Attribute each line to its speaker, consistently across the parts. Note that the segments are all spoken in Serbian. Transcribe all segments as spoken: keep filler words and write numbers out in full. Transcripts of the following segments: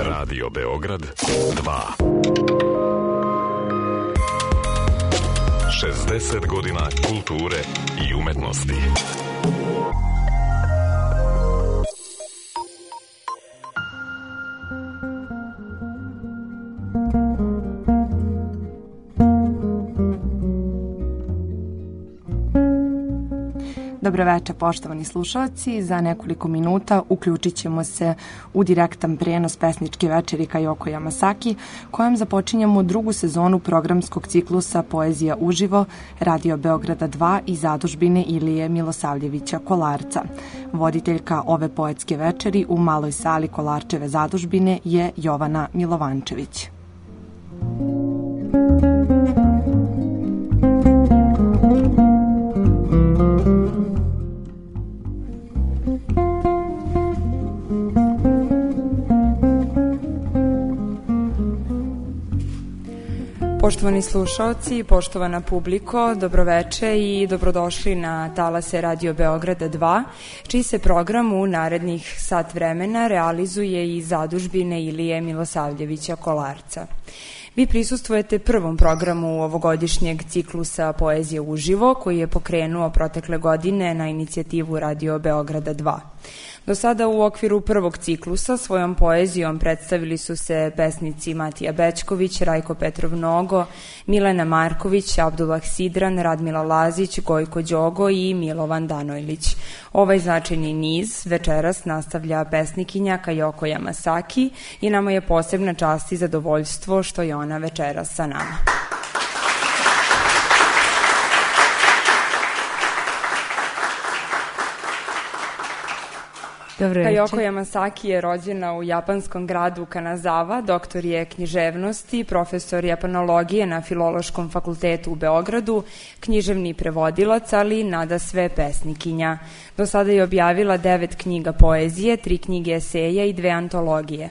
Speaker 1: Radio Beograd dva. šezdeset godina kulture i umetnosti.
Speaker 2: Dobroveče, poštovani slušalci. Za nekoliko minuta uključit ćemo se u direktan prenos pesničke večeri Kajoko Yamasaki, kojom započinjemo drugu sezonu programskog ciklusa Poezija uživo Radio Beograda dva i zadužbine Ilije Milosavljevića Kolarca. Voditeljka ove poetske večeri u maloj sali Kolarčeve zadužbine je Jovana Milovančević. Poštovani slušaoci, poštovana publiko, dobroveče i dobrodošli na talase Radio Beograda dva, čiji se program u narednih sat vremena realizuje iz zadužbine Ilije Milosavljevića Kolarca. Vi prisustvujete prvom programu ovogodišnjeg ciklusa Poezije uživo, koji je pokrenuo protekle godine na inicijativu Radio Beograda dva. Do sada u okviru prvog ciklusa svojom poezijom predstavili su se pesnici Matija Bećković, Rajko Petrov Nogo, Milena Marković, Abdullah Sidran, Radmila Lazić, Gojko Đogo i Milovan Danojlić. Ovaj značajni niz večeras nastavlja pesnikinja Kajoko Yamasaki i nama je posebna čast i zadovoljstvo što je ona večeras sa nama. Kajoko Yamasaki je rođena u japanskom gradu Kanazawa, doktor je književnosti, profesor japanologije na Filološkom fakultetu u Beogradu, književni prevodilac, ali nadasve pesnikinja. Do sada je objavila devet knjiga poezije, tri knjige eseja i dve antologije.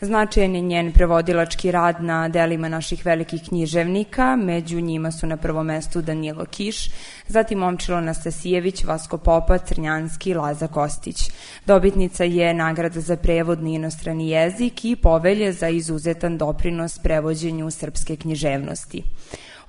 Speaker 2: Značajan je njen prevodilački rad na delima naših velikih književnika, među njima su na prvom mestu Danilo Kiš, zatim Momčilo Anastasijević, Vasko Popa, Crnjanski i Laza Kostić. Dobitnica je nagrada za prevodni inostrani jezik i povelje za izuzetan doprinos prevođenju srpske književnosti.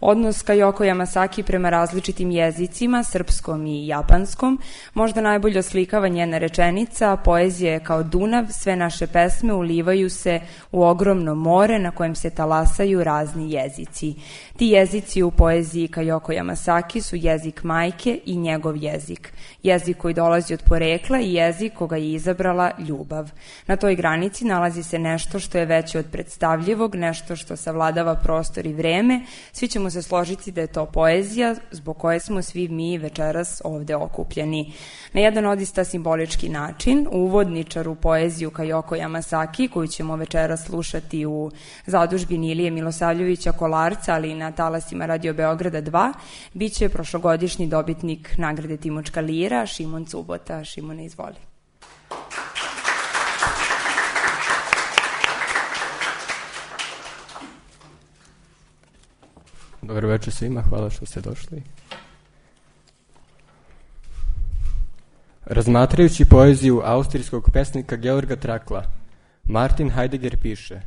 Speaker 2: Odnos Kajoko Yamasaki prema različitim jezicima, srpskom i japanskom, možda najbolje oslikava njena rečenica: poezija je kao Dunav, sve naše pesme ulivaju se u ogromno more na kojem se talasaju razni jezici. Ti jezici u poeziji Kajoko Yamasaki su jezik majke i njegov jezik. Jezik koji dolazi od porekla i jezik koga je izabrala ljubav. Na toj granici nalazi se nešto što je veće od predstavljivog, nešto što savladava prostor i vreme. Svi ćemo se složiti da je to poezija zbog koje smo svi mi večeras ovde okupljeni. Na jedan odista simbolički način, uvodničar u poeziju Kajoko Yamasaki, koju ćemo večeras slušati u zadužbini Ilije Milosavljevića Kolarca, ali i na talasima Radio Beograda dva, bit će prošlogodišnji dobitnik nagrade Timočka lira, Šimon Cubota. Šimone, izvoli.
Speaker 3: Dobro večer svima, hvala što ste došli. Razmatrajući poeziju austrijskog pesnika Georga Trakla, Martin Heidegger piše: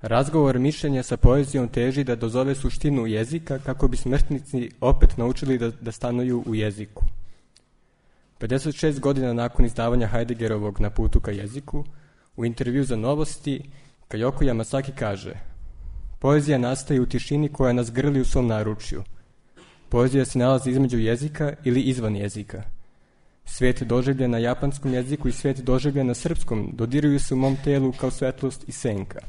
Speaker 3: razgovor mišljenja sa poezijom teži da dozove suštinu jezika kako bi smrtnici opet naučili da, da stanuju u jeziku. pedeset šest godina nakon izdavanja Heideggerovog Na putu ka jeziku, u intervju za Novosti, Kajoko Yamasaki kaže: poezija nastaje u tišini koja nas grli u svom naručju. Poezija se nalazi između jezika ili izvan jezika. Svijet doživljen na japanskom jeziku i svijet doživljen na srpskom dodiruju se u mom telu kao svetlost i senka.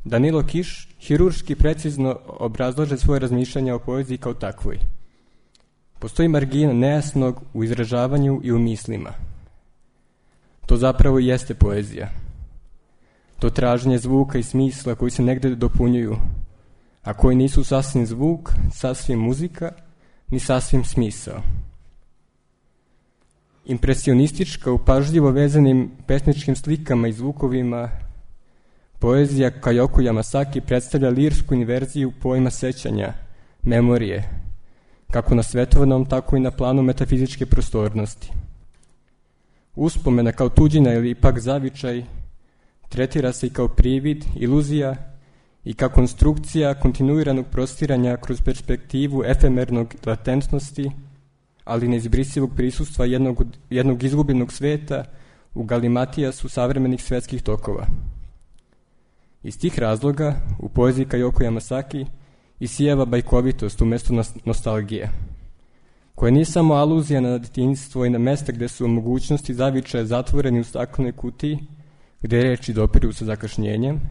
Speaker 3: Danilo Kiš hirurški precizno obrazlaže svoje razmišljanja o poeziji kao takvoj. Postoji margina nejasnog u izražavanju i u mislima. To zapravo jeste poezija. To traženje zvuka i smisla koji se negde dopunjuju, a koji nisu sasvim zvuk, sasvim muzika, ni sasvim smisao. Impresionistička u pažljivo vezanim pesničkim slikama i zvukovima, poezija Kajoko Yamasaki predstavlja lirsku inverziju pojma sećanja, memorije, kako na svetovnom, tako i na planu metafizičke prostornosti. Uspomena kao tuđina ili pak zavičaj tretira se i kao privid, iluzija i kao konstrukcija kontinuiranog prostiranja kroz perspektivu efemernog latentnosti, ali neizbrisivog prisustva jednog, jednog izgubljenog sveta u galimatijasu savremenih svetskih tokova. Iz tih razloga u poeziji Kajoko Yamasaki isijava bajkovitost umjesto nostalgije, koja nije samo aluzija na detinjstvo i na mesta gde su mogućnosti zavičaja zatvoreni u staklenoj kutiji, gde reči dopiru sa zakašnjenjem,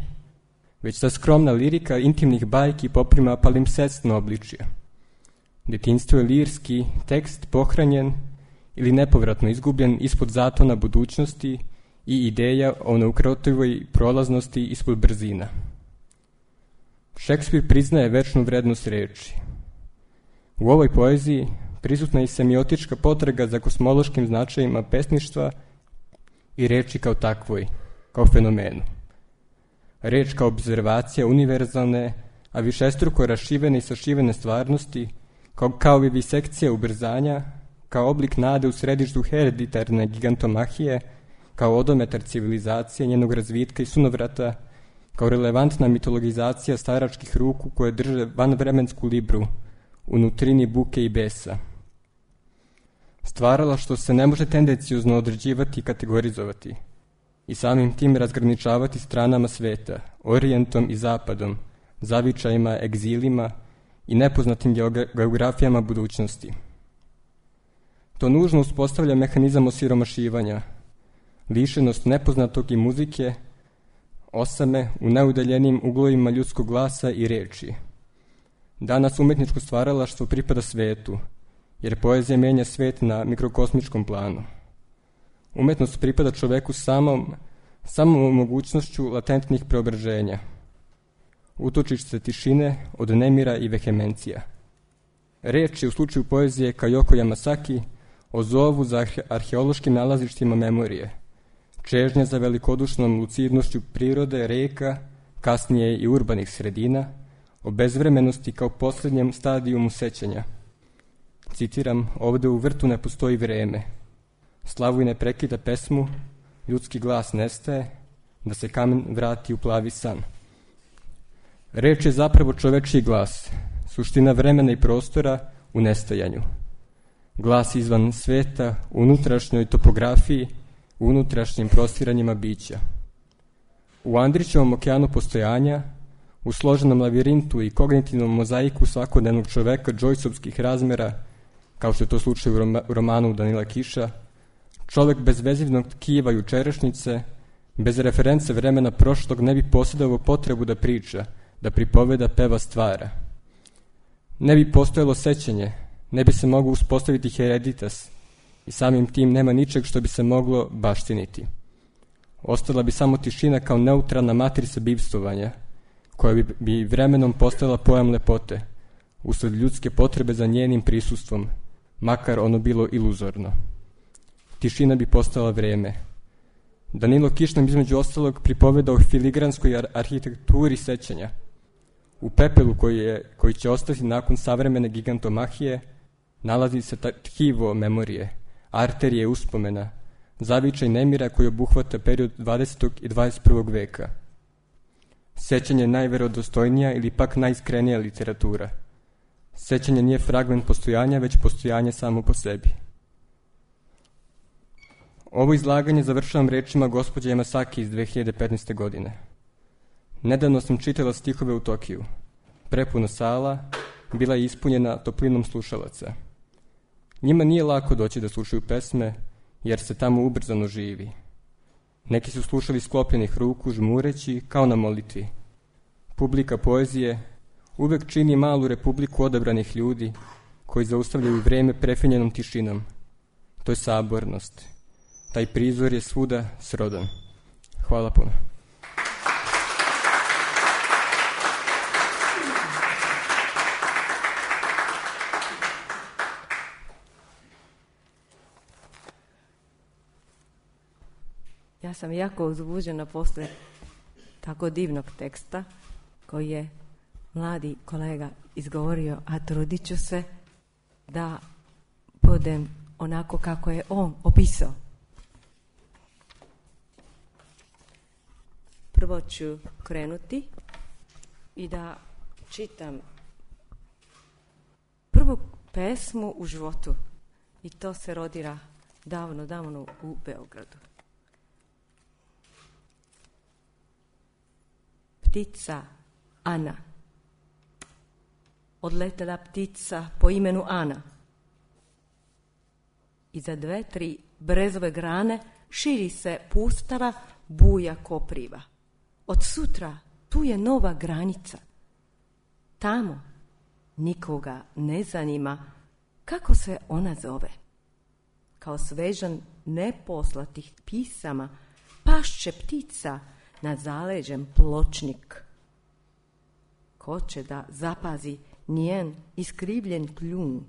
Speaker 3: već ta skromna lirika intimnih bajki poprima palimpsestno obličje. Detinjstvo je lirski tekst pohranjen ili nepovratno izgubljen ispod zatona budućnosti i ideja o neukrotivoj prolaznosti ispod brzina. Šekspir priznaje večnu vrednost reči. U ovoj poeziji prisutna je i semiotička potraga za kosmološkim značajima pesništva i reči kao takvoj, kao fenomenu. Reč kao obzervacija univerzalne, a višestruko rašivene i sašivene stvarnosti, kao, kao vivisekcija ubrzanja, kao oblik nade u središtu hereditarne gigantomahije, kao odometar civilizacije, njenog razvitka i sunovrata, kao relevantna mitologizacija staračkih ruku koje drže vanvremensku libru u nutrini buke i besa. Stvarala što se ne može tendenciozno određivati i kategorizovati i samim tim razgraničavati stranama sveta, orijentom i zapadom, zavičajima, egzilima i nepoznatim geografijama budućnosti. To nužno uspostavlja mehanizam osiromašivanja, lišenost nepoznatog i muzike, osame u najudaljenijim uglovima ljudskog glasa i reči. Danas umetničko stvaralaštvo pripada svetu, jer poezija menja svet na mikrokosmičkom planu. Umetnost pripada čoveku samom, samom mogućnošću latentnih preobraženja. Utočište tišine od nemira i vehemencija. Reč je u slučaju poezije Kajoko Yamasaki o zovu za arheološkim nalazištima memorije, čežnja za velikodušnom lucidnošću prirode, reka, kasnije i urbanih sredina, o bezvremenosti kao posljednjem stadijumu sećanja. Citiram, ovde u vrtu ne postoji vreme. Slavuj ne prekida pesmu, ljudski glas nestaje, da se kamen vrati u plavi san. Reč je zapravo čovečiji glas, suština vremena i prostora u nestajanju. Glas izvan sveta, u unutrašnjoj topografiji, u unutrašnjim prostiranjima bića. U Andrićevom okeanu postojanja, u složenom lavirintu i kognitivnom mozaiku svakodnevnog čoveka džojsovskih razmera, kao što je to slučaj u romanu Danila Kiša, čovek bez vezivnog tkiva jučerašnjice, bez reference vremena prošlog ne bi posjedovao potrebu da priča, da pripoveda, peva, stvara. Ne bi postojalo sećanje, ne bi se moglo uspostaviti hereditas i samim tim nema ničeg što bi se moglo baštiniti. Ostala bi samo tišina kao neutralna matrica bivstvovanja, koja bi, bi vremenom postala pojam lepote, usled ljudske potrebe za njenim prisustvom, makar ono bilo iluzorno. Tišina bi postala vreme. Danilo Kiš nam između ostalog pripoveda o filigranskoj ar- arhitekturi sećanja. U pepelu koji, je, koji će ostati nakon savremene gigantomahije nalazi se tkivo memorije, arterije uspomena, zavičaj nemira koji obuhvata period dvadesetog i dvadeset prvog veka. Sećanje je najverodostojnija ili pak najiskrenija literatura. Sećanje nije fragment postojanja, već postojanje samo po sebi. Ovo izlaganje završavam rečima gospođe Yamasaki iz dve hiljade petnaeste. godine. Nedavno sam čitala stihove u Tokiju. Prepuna sala bila je ispunjena toplinom slušalaca. Njima nije lako doći da slušaju pesme, jer se tamo ubrzano živi. Neki su slušali sklopljenih ruku, žmureći, kao na molitvi. Publika poezije uvek čini malu republiku odabranih ljudi, koji zaustavljaju vreme prefinjenom tišinom. To je sabornost. Taj prizor je svuda srodan. Hvala puno.
Speaker 4: Ja sam jako uzbuđena posle tako divnog teksta koji je mladi kolega izgovorio, a trudit ću se da budem onako kako je on opisao. prvo ću krenuti i da čitam prvu pesmu u životu. I to se rodira davno, davno u Beogradu. Ptica Ana. Odletela ptica po imenu Ana. I za dve, tri brezove grane širi se pustara, buja kopriva. Od sutra tu je nova granica. Tamo nikoga ne zanima kako se ona zove. Kao svežan neposlatih pisama pašće ptica nad zaleđem pločnik. Ko će da zapazi njen iskrivljen kljun,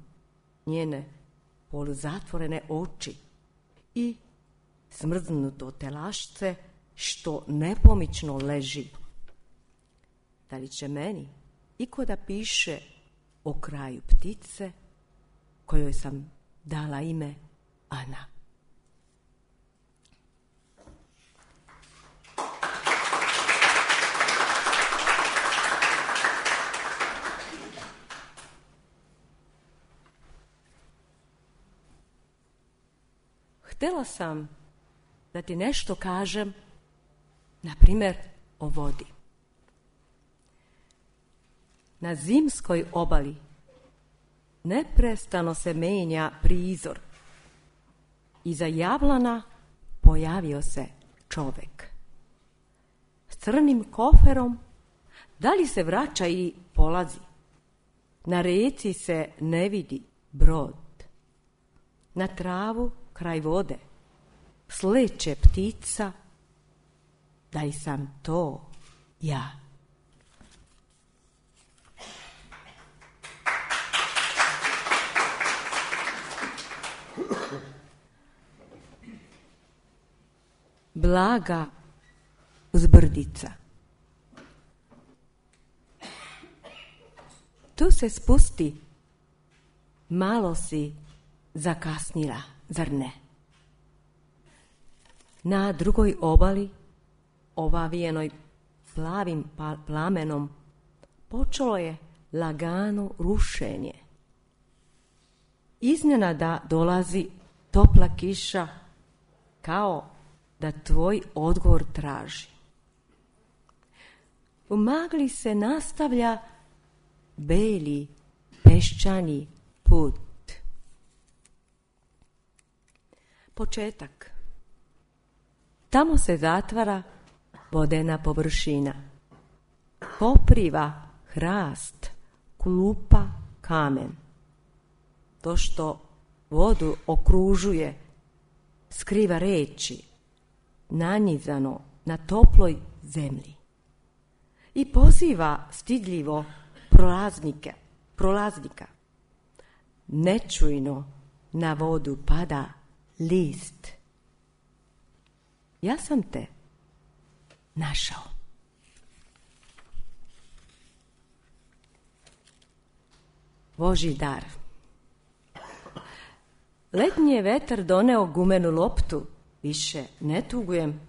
Speaker 4: njene poluzatvorene oči i smrznuto telašce što nepomično leži. Da li će meni iko da piše o kraju ptice kojoj sam dala ime Ana? Htjela sam da ti nešto kažem, na primjer o vodi. Na zimskoj obali neprestano se menja prizor. Iza jablana pojavio se čovek. S crnim koferom, da li se vraća i polazi? Na reci se ne vidi brod. Na travu kraj vode sleće ptica, da li sam to ja? Blaga uzbrdica. Tu se spusti, malo si zakasnila, zar ne? Na drugoj obali, ovavijenoj plavim plamenom, počelo je lagano rušenje. Iznenada dolazi topla kiša, kao da tvoj odgovor traži. U magli se nastavlja beli peščani put. Početak. Tamo se zatvara vodena površina. Kopriva, hrast, klupa, kamen. To što vodu okružuje, skriva reči, nanizano na toploj zemlji. I poziva stidljivo prolaznike, prolaznika. Nečujno na vodu pada list. Ja sam te našao. Božji dar. Letnji je vetar doneo gumenu loptu. Više ne tugujem.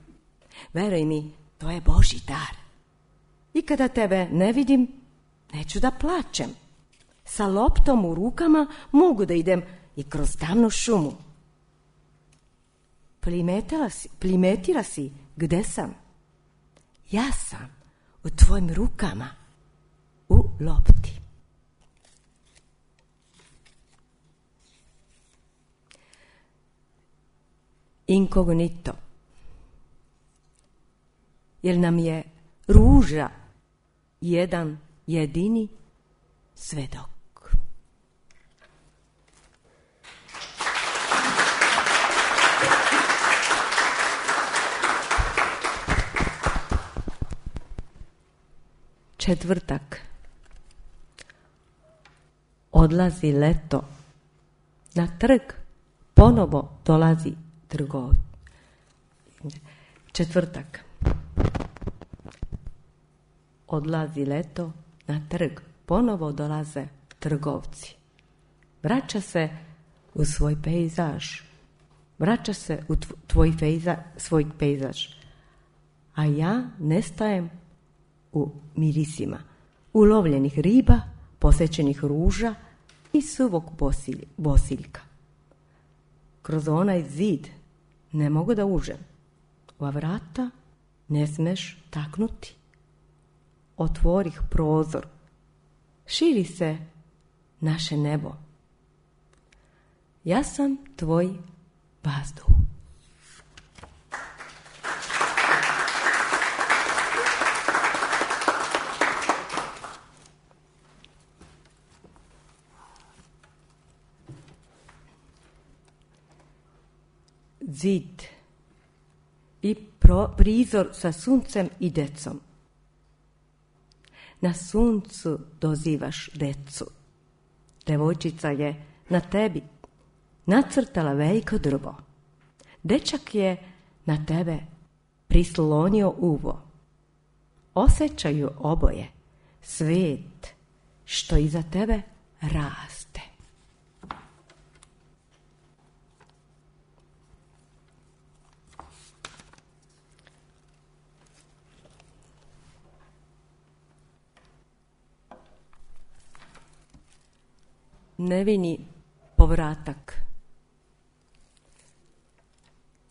Speaker 4: Veruj mi, to je Božji dar. I kada tebe ne vidim, neću da plačem. Sa loptom u rukama mogu da idem i kroz tamnu šumu. Primetila si, primetila si gde sam? Ja sam u tvojim rukama, u lopti. Inkognito. Jer nam je ruža jedan jedini svedok. Četvrtak. Odlazi leto. Na trg ponovo dolazi trgov. Četvrtak. Odlazi leto, na trg ponovo dolaze trgovci. Vraća se u svoj pejzaž. Vraća se u tvoj pejza, svoj pejzaž. a ja nestajem u mirisima ulovljenih riba, posjećenih ruža i suvog bosilj, bosiljka. Kroz onaj zid ne mogu da uđem. Ova vrata ne smeš taknuti. Otvorih prozor. Širi se naše nebo. Ja sam tvoj vazduh. Zid i pro, prizor sa suncem i decom. Na suncu dozivaš decu. Devojčica je na tebi nacrtala veliko drvo. Dečak je na tebe prislonio uvo. Osjećaju oboje svijet što iza tebe raste. Nevini povratak.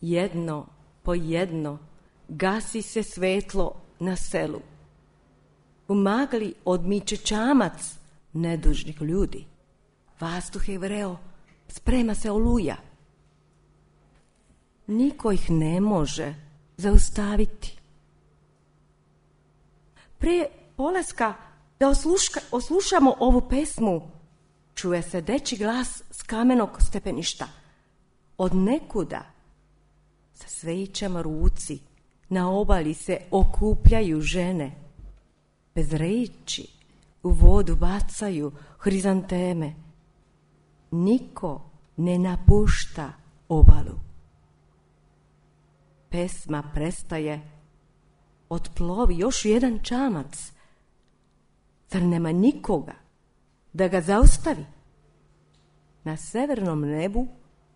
Speaker 4: Jedno po jedno gasi se svetlo na selu. U magli odmiče čamac nedužnih ljudi. Vazduh je vreo, sprema se oluja. Niko ih ne može zaustaviti. Prije polaska da osluška, oslušamo ovu pesmu, čuje se dečji glas s kamenog stepeništa. Od nekuda, sa svećama ruci, na obali se okupljaju žene. Bez reči u vodu bacaju hrizanteme. Niko ne napušta obalu. Pesma prestaje, otplovi još jedan čamac. Zar nema nikoga da ga zaustavi? Na severnom nebu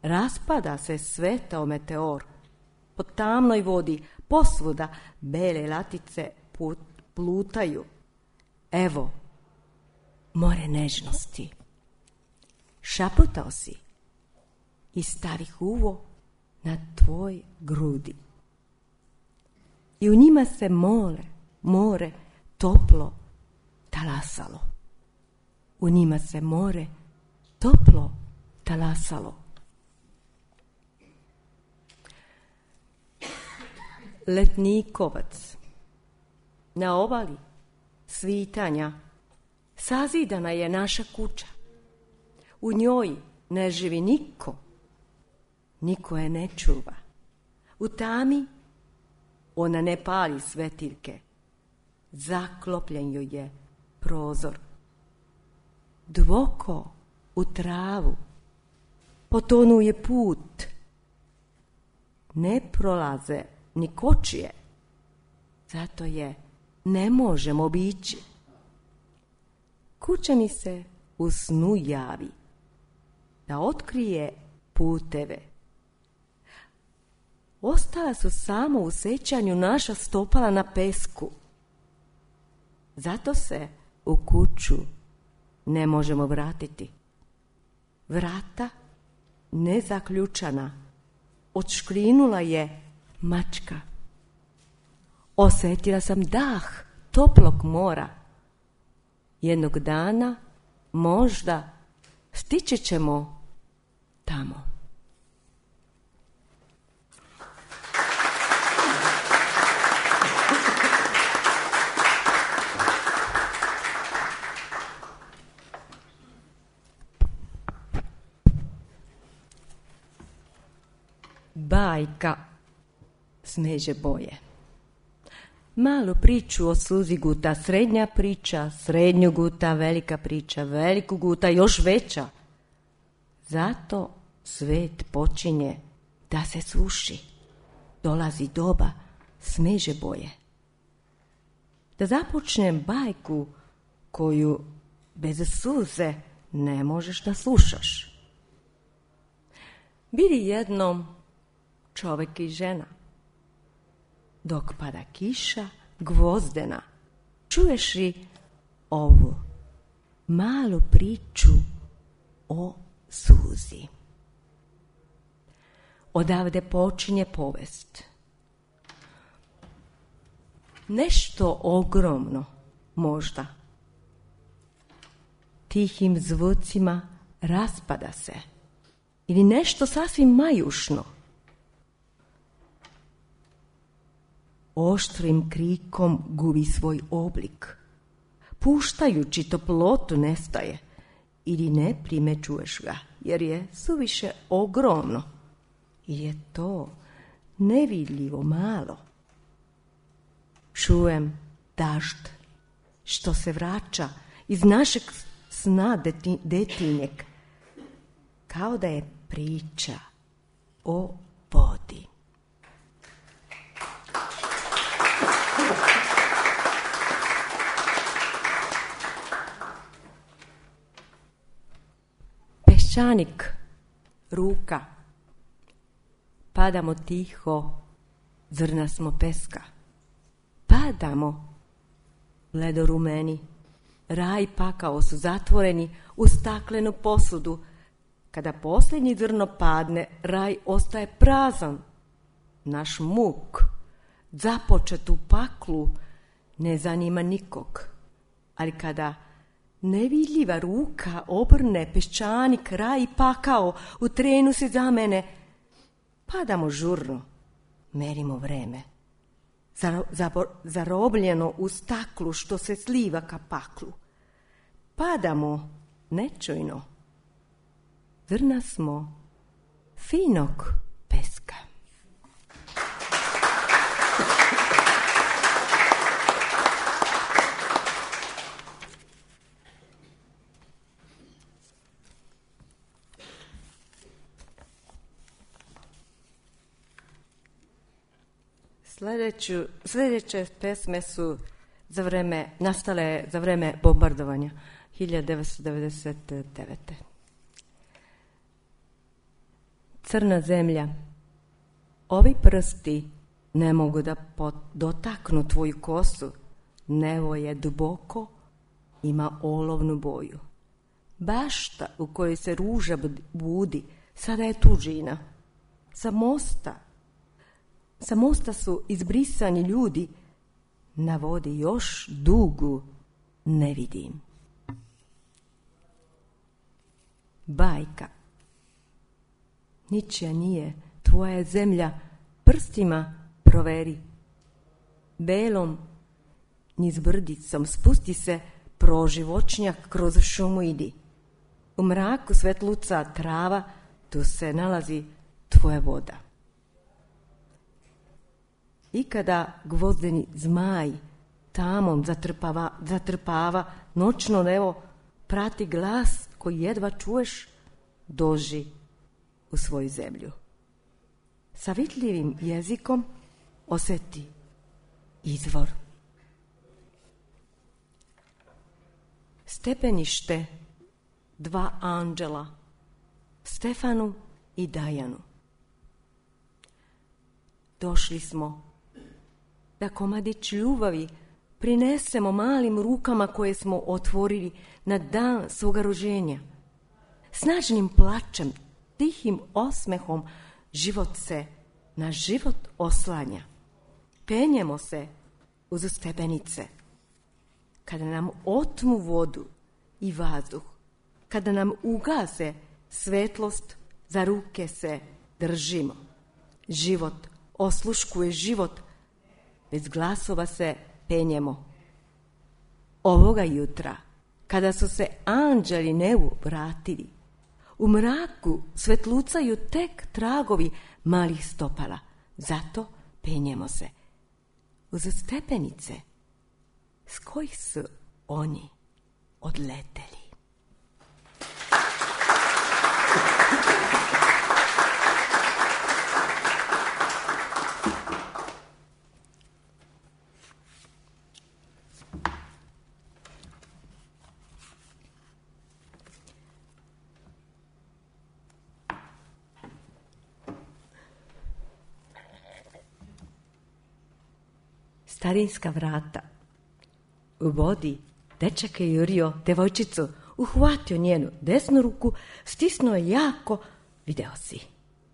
Speaker 4: raspada se svetao meteor. Po tamnoj vodi posvuda bele latice put, plutaju. Evo, more nežnosti. Šaputao si i stavih uvo na tvoj grudi. I u njima se more, more toplo talasalo. U njima se more toplo talasalo. Letnikovac. Na obali svitanja sazidana je naša kuća. U njoj ne živi niko. Niko je ne čuva. U tami ona ne pali svetiljke. Zaklopljen joj je prozor. Dvoko u travu potonuje put. Ne prolaze ni kočije. Zato je ne možemo obići. Kuća mi se u snu javi da otkrije puteve. Ostala su samo u sećanju naša stopala na pesku. Zato se u kuću ne možemo vratiti. Vrata nezaključana odškrinula je mačka. Osjetila sam dah toplog mora. Jednog dana možda stići ćemo tamo. Bajka Smeđe boje. Malu priču o sluzi guta, srednja priča, srednju guta, velika priča, veliku guta, još veća. Zato svet počinje da se suši. Dolazi doba Smeđe boje. Da započnem bajku koju bez suze ne možeš da slušaš. Bili jednom čovjek i žena. dok pada kiša gvozdena. Čuješ li ovu malu priču o suzi? Odavde počinje povest. Nešto ogromno, možda, tihim zvucima raspada se, ili nešto sasvim majušno, oštrim krikom gubi svoj oblik, puštajući toplotu nestaje, ili ne primećuješ ga, jer je suviše ogromno, ili je to nevidljivo malo. Čujem dažd što se vraća iz našeg sna deti, detinjeg, kao da je priča o vodi. Peščanik, ruka, padamo tiho, zrna smo peska. Padamo, ledorumeni, raj pakao su zatvoreni u staklenu posudu. Kada posljednji zrno padne, raj ostaje prazan. Naš muk, započet u paklu, ne zanima nikog. Ali kada nevidljiva ruka obrne peščanik, raj pakao, u trenu se za mene, padamo žurno, merimo vreme. Zarobljeno u staklu što se sliva ka paklu. Padamo nečujno. Zrna smo finog peska. Sljedeću, sljedeće pesme su za vreme, nastale za vreme bombardovanja hiljadu devetsto devedeset devete. Crna zemlja, ovi prsti ne mogu da pot, dotaknu tvoju kosu, nebo je duboko, ima olovnu boju. Bašta u kojoj se ruža budi, sada je tuđina. Sa mosta Sa mosta su izbrisani ljudi, na vodi još dugu ne vidim. Bajka, ničija nije, tvoja je zemlja, prstima proveri. Belom, niz brdicom, spusti se proživočnjak kroz šumu idi. U mraku svetluca trava, tu se nalazi tvoja voda. I kada gvozdeni zmaj tamom zatrpava, zatrpava noćno nebo, prati glas koji jedva čuješ, doži u svoju zemlju. Sa vidljivim jezikom osjeti izvor. Stepenište dva anđela, Stefanu i Dajanu. Došli smo da komadić ljubavi prinesemo malim rukama koje smo otvorili na dan svoga rođenja. Snažnim plačem, tihim osmehom život se na život oslanja. Penjemo se uz stepenice. Kada nam otmu vodu i vazduh, kada nam ugase svetlost, za ruke se držimo. Život osluškuje život, bez glasova se penjemo. Ovoga jutra, kada su se anđeli nebu vratili, u mraku svetlucaju tek tragovi malih stopala. Zato penjemo se uz stepenice s kojih su oni odleteli. starinska vrata. U vodi dečak je jurio devojčicu, uhvatio njenu desnu ruku, stisnuo je jako, video si.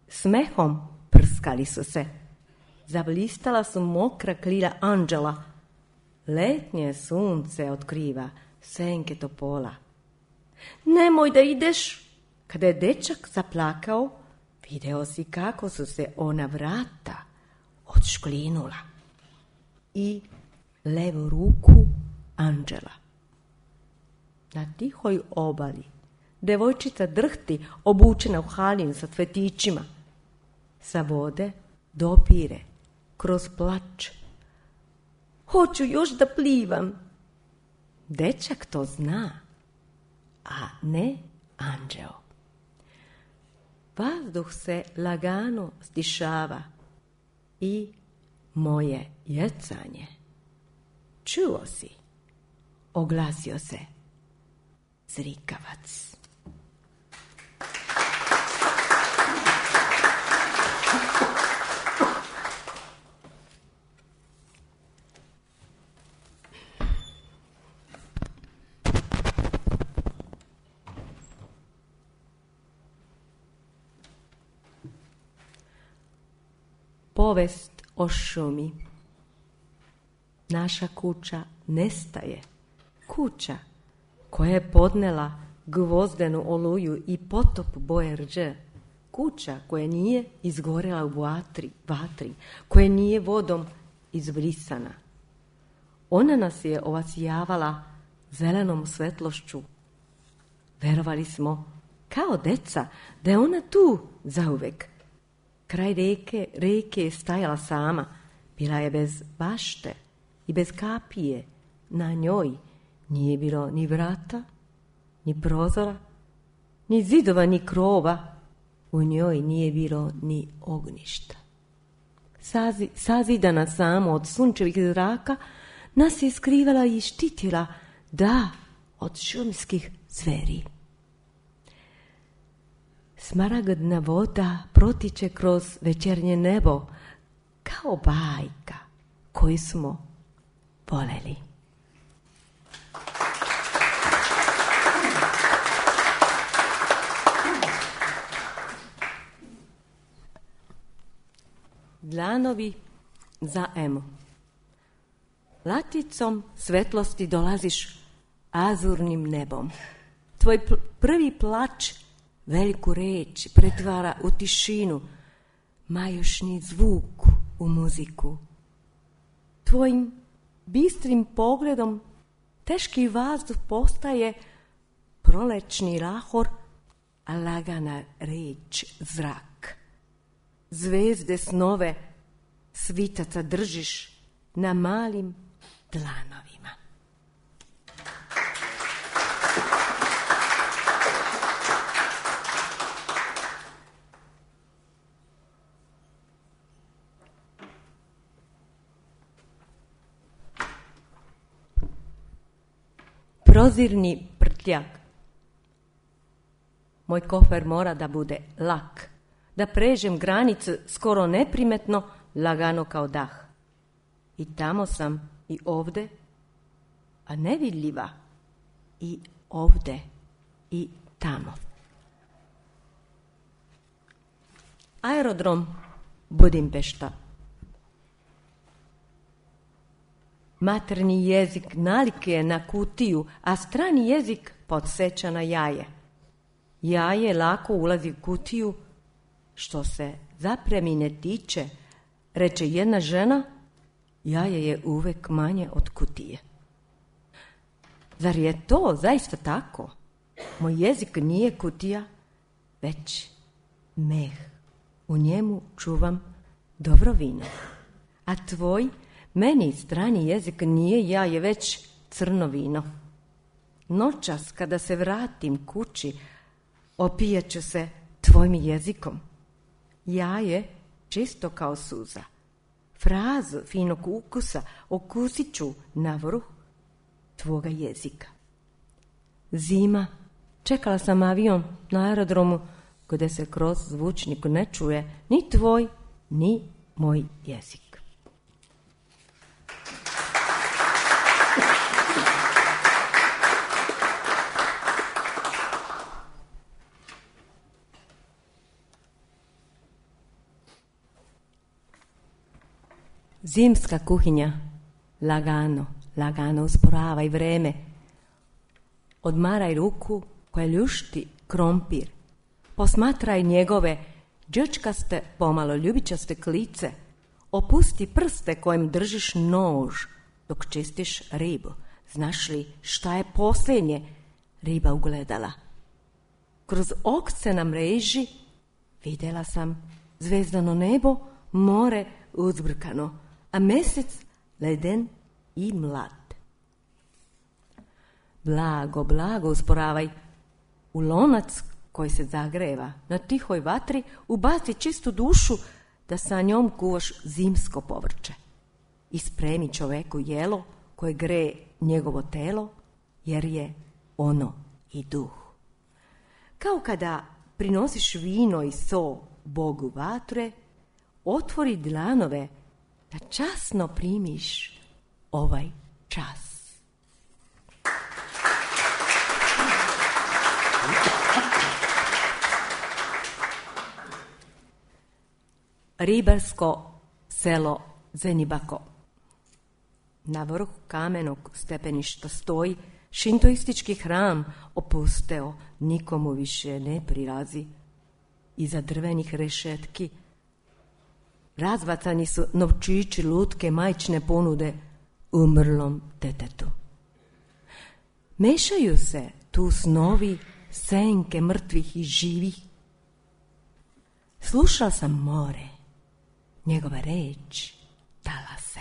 Speaker 4: Smehom prskali su se. Zablistala su mokra krila anđela. Letnje sunce otkriva senke topola. Nemoj da ideš. Kada je dečak zaplakao, video si kako su se ona vrata odšklinula i levu ruku anđela. Na tihoj obali devojčica drhti, obučena u halin sa cvetićima. Sa vode dopire kroz plač. Hoću još da plivam. Dečak to zna, a ne anđeo. Vazduh se lagano stišava i moje jecanje. Čuo si, oglasio se zrikavac. Povest o šumi. Naša kuća nestaje. Kuća koja je podnela gvozdenu oluju i potop boje rđe. Kuća koja nije izgorela u vatri, vatri, koja nije vodom izbrisana. Ona nas je ovasijavala zelenom svetlošću. Verovali smo, kao deca, da je ona tu zauvek. Kraj reke, reke je stajala sama, bila je bez bašte i bez kapije. Na njoj nije bilo ni vrata, ni prozora, ni zidova, ni krova. U njoj nije bilo ni ognjišta. Sazi, sazidana samo od sunčevih zraka, nas je skrivala i štitila, da, od šumskih zveri. Smaragdna voda protiče kroz večernje nebo, kao bajka koju smo voljeli. Dlanovi za Emu. Laticom svetlosti dolaziš azurnim nebom. Tvoj pl- prvi plač veliku reč pretvara u tišinu, majušni zvuk u muziku. Tvojim bistrim pogledom teški vazduh postaje prolečni lahor, a lagana reč zrak. Zvezde snove svitaca držiš na malim dlanovima. Prozirni prtljak. Moj kofer mora da bude lak, da pređem granicu skoro neprimetno, lagano kao dah. I tamo sam, i ovde, a nevidljiva, i ovde, i tamo. Aerodrom Budimpešta. Materni jezik nalik je na kutiju, a strani jezik podsjeća na jaje. Jaje lako ulazi u kutiju, što se zapremine tiče, reče jedna žena, jaje je uvek manje od kutije. Zar je to zaista tako? Moj jezik nije kutija, već meh. U njemu čuvam dobro vino. A tvoj, meni strani jezik nije jaje, već crno vino. Noćas kada se vratim kući, opijaću se tvojim jezikom. Jaje čisto kao suza. Frazu finog ukusa okusit ću na vrh tvoga jezika. Zima. Čekala sam avion na aerodromu gdje se kroz zvučnik ne čuje ni tvoj, ni moj jezik. Zimska kuhinja lagano, lagano usporavaj vreme. Odmaraj ruku koja ljušti krompir. Posmatraj njegove đčkaste, pomalo ljubičaste klice. Opusti prste kojim držiš nož dok čistiš ribu. Znaš li šta je posljednje riba ugledala? Kroz okce na mreži vidjela sam zvezdano nebo, more uzbrkano, a mjesec leden i mlad. Blago, blago usporavaj. U lonac koji se zagreva na tihoj vatri ubaci čistu dušu da sa njom kuvaš zimsko povrće. I spremi čoveku jelo koje greje njegovo telo, jer je ono i duh. Kao kada prinosiš vino i so Bogu vatre, otvori dlanove da časno primiš ovaj čas. Ribarsko selo Zenibako. Na vrhu kamenog stepeništa stoji šintoistički hram, opusteo, nikomu više ne prilazi. Iza drvenih rešetki razbacani su novčići, lutke, majčine ponude umrlom detetu. Mešaju se tu snovi, senke mrtvih i živih. Slušao sam more, njegova reč dala se.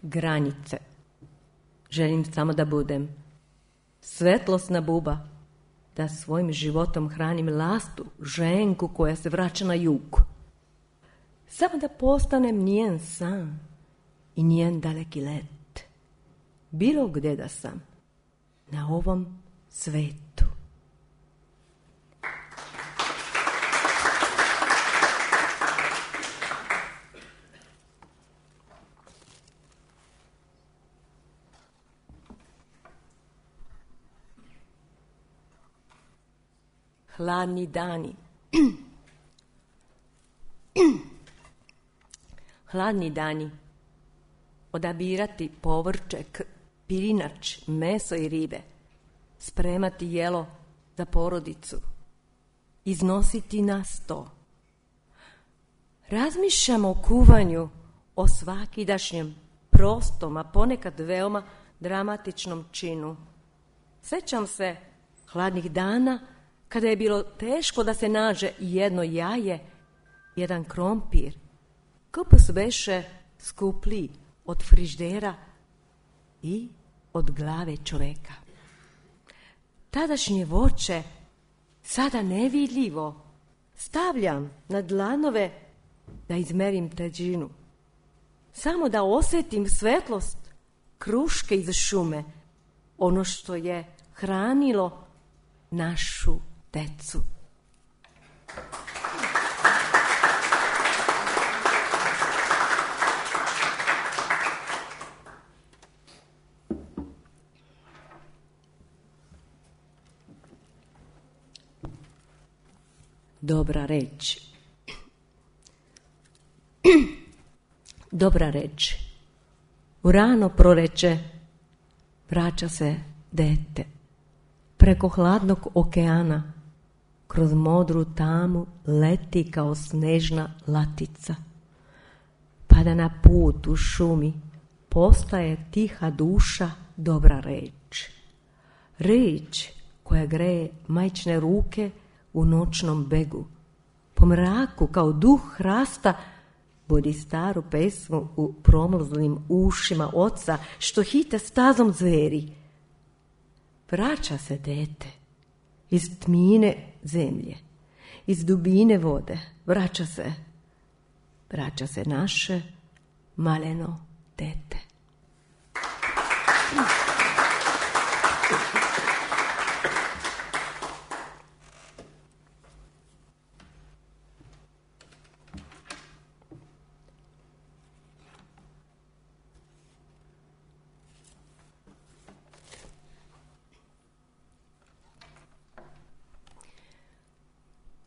Speaker 4: Granice. Želim samo da budem svetlosna buba, da svojim životom hranim lastu, ženku koja se vraća na jug. Samo da postanem njen san i njen daleki let. Bilo gdje da sam, na ovom svetu. Hladni dani. Hladni dani. Odabirati povrće, pirinač, meso i ribe. Spremati jelo za porodicu. Iznositi na sto. Razmišljamo o kuvanju, o svakidašnjem, prostom, a ponekad veoma dramatičnom činu. Sjećam se hladnih dana kada je bilo teško da se nađe jedno jaje, jedan krompir. Kupus beše skuplji od friždera i od glave čoveka. Tadašnje voće, sada nevidljivo, stavljam na dlanove da izmerim težinu. Samo da osjetim svetlost kruške iz šume, ono što je hranilo našu decu. Dobra reč. Dobra reč. U rano proleće vraća se dete. Preko hladnog okeana, kroz modru tamu leti kao snežna latica. Pada na put u šumi, postaje tiha duša, dobra reč. Reč koja greje majčine ruke u noćnom begu. Po mraku kao duh hrasta budi staru pesmu u promrzlim ušima oca što hite stazom zveri. Vraća se dete iz tmine zemlje, iz dubine vode. Vraća se, vraća se naše maleno dete.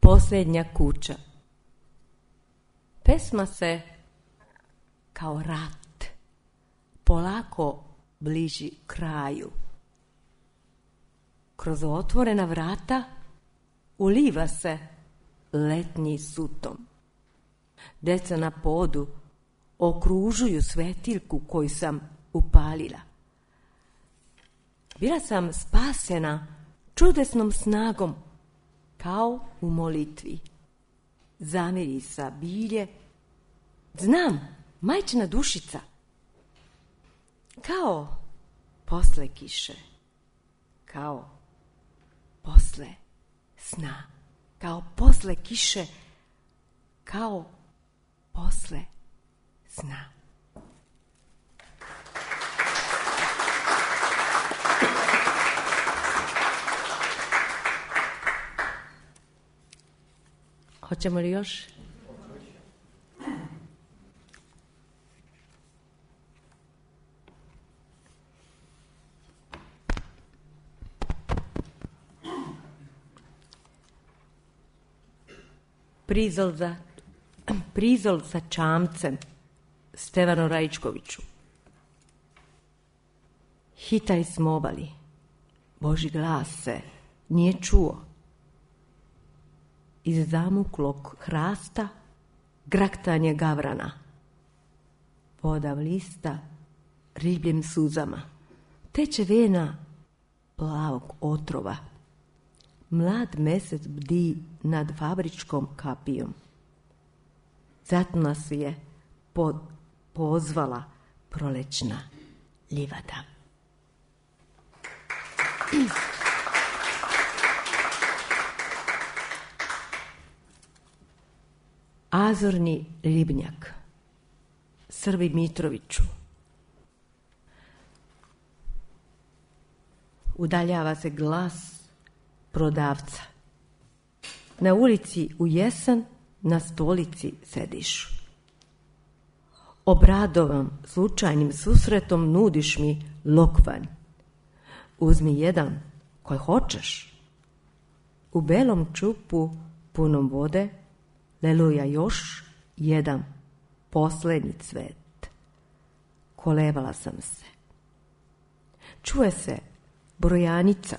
Speaker 4: posljednja kuća. Pesma se kao rat polako bliži kraju. Kroz otvorena vrata uliva se letnji sutom. Deca na podu okružuju svetiljku koju sam upalila. Bila sam spasena čudesnom snagom, kao u molitvi. Zamirisa bilje, znam, majčina dušica, kao posle kiše, kao posle sna, kao posle kiše, kao posle sna. Hoćemo li još? Prizol za, prizol sa čamcem Stevanu Rajčkoviću. Hitali smo obali. Božji glas se nije čuo. Iz zamuklog hrasta graktanje gavrana. Voda vlista ribljim suzama. Teče vena plavog otrova. Mlad mesec bdi nad fabričkom kapijom. Zato nas je po, pozvala prolećna livada. Azorni ribnjak Srbi Mitroviću. Udaljava se glas prodavca. Na ulici u jesen na stolici sediš. Obradovan slučajnim susretom nudiš mi lokvanj. Uzmi jedan koji hoćeš. U belom čupu punom vode leluja još jedan posljednji cvet. Kolevala sam se. Čuje se brojanica.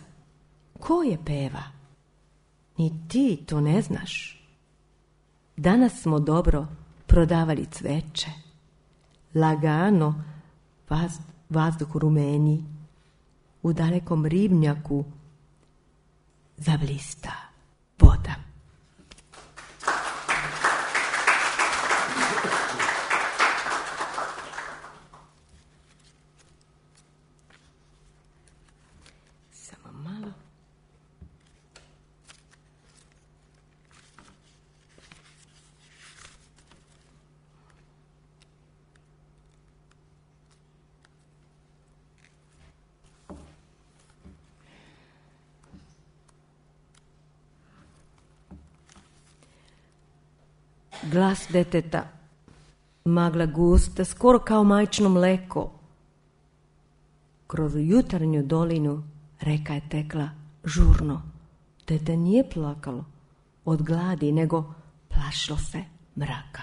Speaker 4: Ko je peva? Ni ti to ne znaš. Danas smo dobro prodavali cveće. Lagano vaz, vazduh rumeni. U dalekom ribnjaku zablista voda. Samo malo. Glas deteta, magla gusta, skoro kao majčino mleko. Kroz jutarnju dolinu reka je tekla žurno. Dete nije plakalo od gladi, nego plašilo se mraka.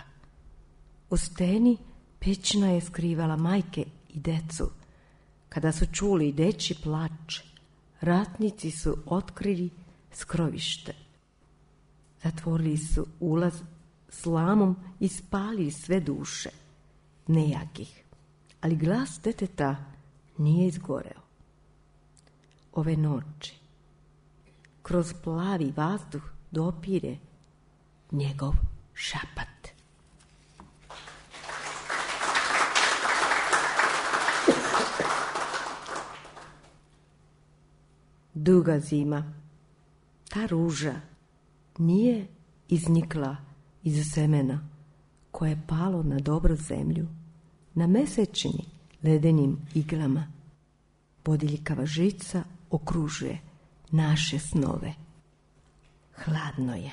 Speaker 4: U steni pećina je skrivala majke i decu. Kada su čuli dečji plač, ratnici su otkrili skrovište. Zatvorili su ulaz slamom i spalili sve duše, nejakih, ali glas deteta nije izgoreo. Ove noći, kroz plavi vazduh dopire njegov šapat. Duga zima, ta ruža nije iznikla iz semena koje je palo na dobru zemlju, na mesečini ledenim iglama. Bodiljkava žica okružuje naše snove. Hladno je.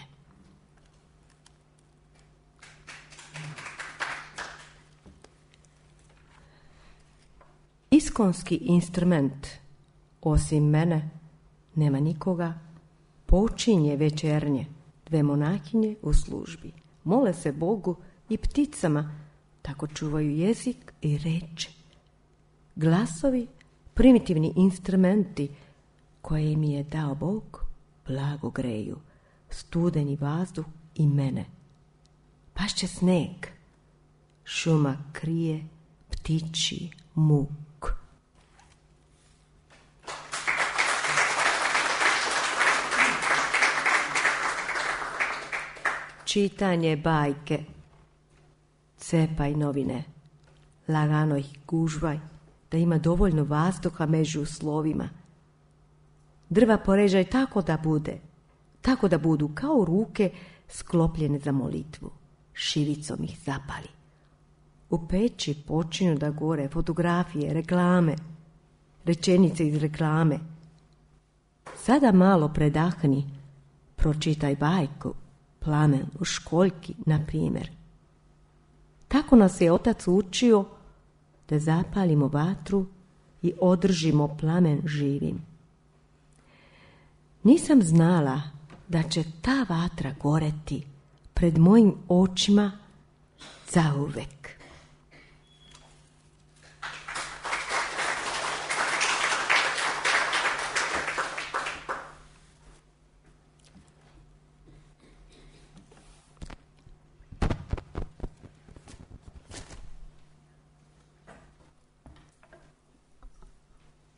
Speaker 4: Iskonski instrument, osim mene, nema nikoga, počinje večernje Dve monahinje u službi mole se Bogu i pticama, tako čuvaju jezik i reč. Glasovi, primitivni instrumenti koje im je dao Bog, blago greju studeni vazduh i mene. Pašće sneg, šuma krije ptičji muk. Čitanje bajke. Cepaj novine, lagano ih gužvaj, da ima dovoljno vazduha među slovima. Drva poređaj tako da bude, tako da budu kao ruke sklopljene za molitvu. Šivicom ih zapali. U peći počinju da gore fotografije, reklame, rečenice iz reklame. Sada malo predahni, pročitaj bajku, Plamen u školjki, na primjer. Tako nas je otac učio da zapalimo vatru i održimo plamen živim. Nisam znala da će ta vatra goreti pred mojim očima zauvek.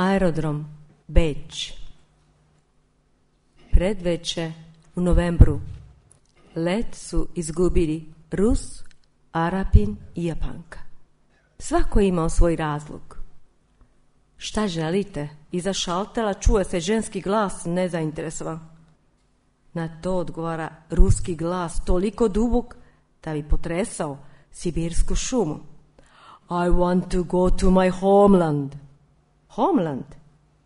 Speaker 4: Aerodrom, Beč. Predveče u novembru. Let su izgubili Rus, Arapin i Japanka. Svako je imao svoj razlog. Šta želite? Iza šaltera čuje se ženski glas nezainteresovan. Na to odgovara ruski glas toliko dubok da bi potresao sibirsku šumu. I want to go to my homeland. Homeland?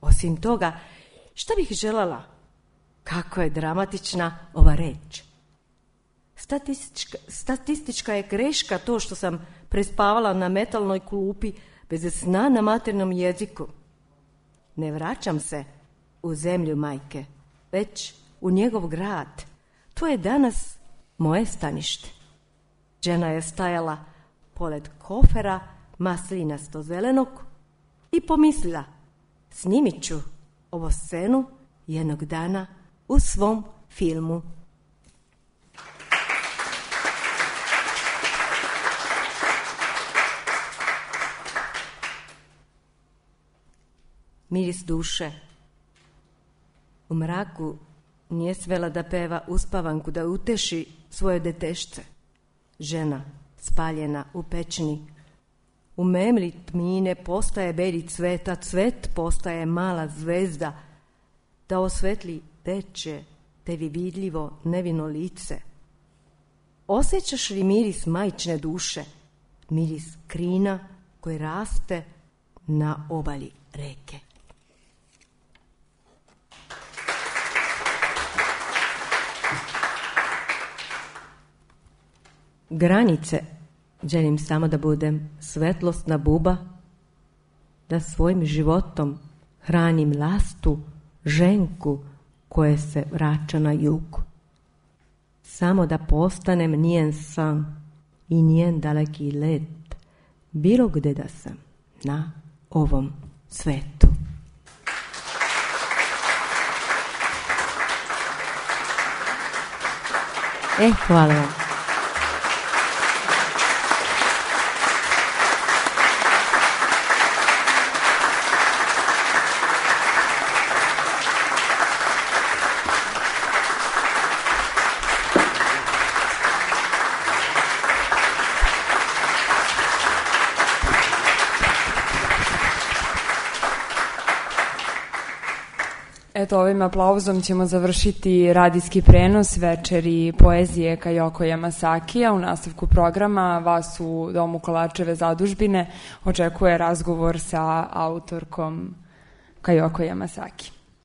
Speaker 4: Osim toga, šta bih željela? Kako je dramatična ova reč. Statistička, statistička je greška to što sam prespavala na metalnoj klupi bez sna na maternom jeziku. Ne vraćam se u zemlju majke, već u njegov grad. To je danas moje stanište. Žena je stajala pored kofera maslinasto zelenog i pomislila, snimit ću ovu scenu jednog dana u svom filmu. Miris duše. U mraku nije svela da peva uspavanku da uteši svoje detešce. Žena spaljena u pećini. U memli tmine postaje beli cvet, a cvet postaje mala zvezda da osvetli veće, tebi vidljivo nevino lice. Osjećaš li miris majčine duše, miris krina koji raste na obali reke? Granice. Želim samo da budem svetlosna buba, da svojim životom hranim lastu, ženku koje se vraća na jug. Samo da postanem njen san i njen daleki let, bilo gde da sam na ovom svetu. E, hvala vam.
Speaker 2: Eto, ovim aplauzom ćemo završiti radijski prenos večeri poezije Kajoko Yamasakija. U nastavku programa vas u Domu Kolačeve zadužbine očekuje razgovor sa autorkom Kajoko Yamasaki.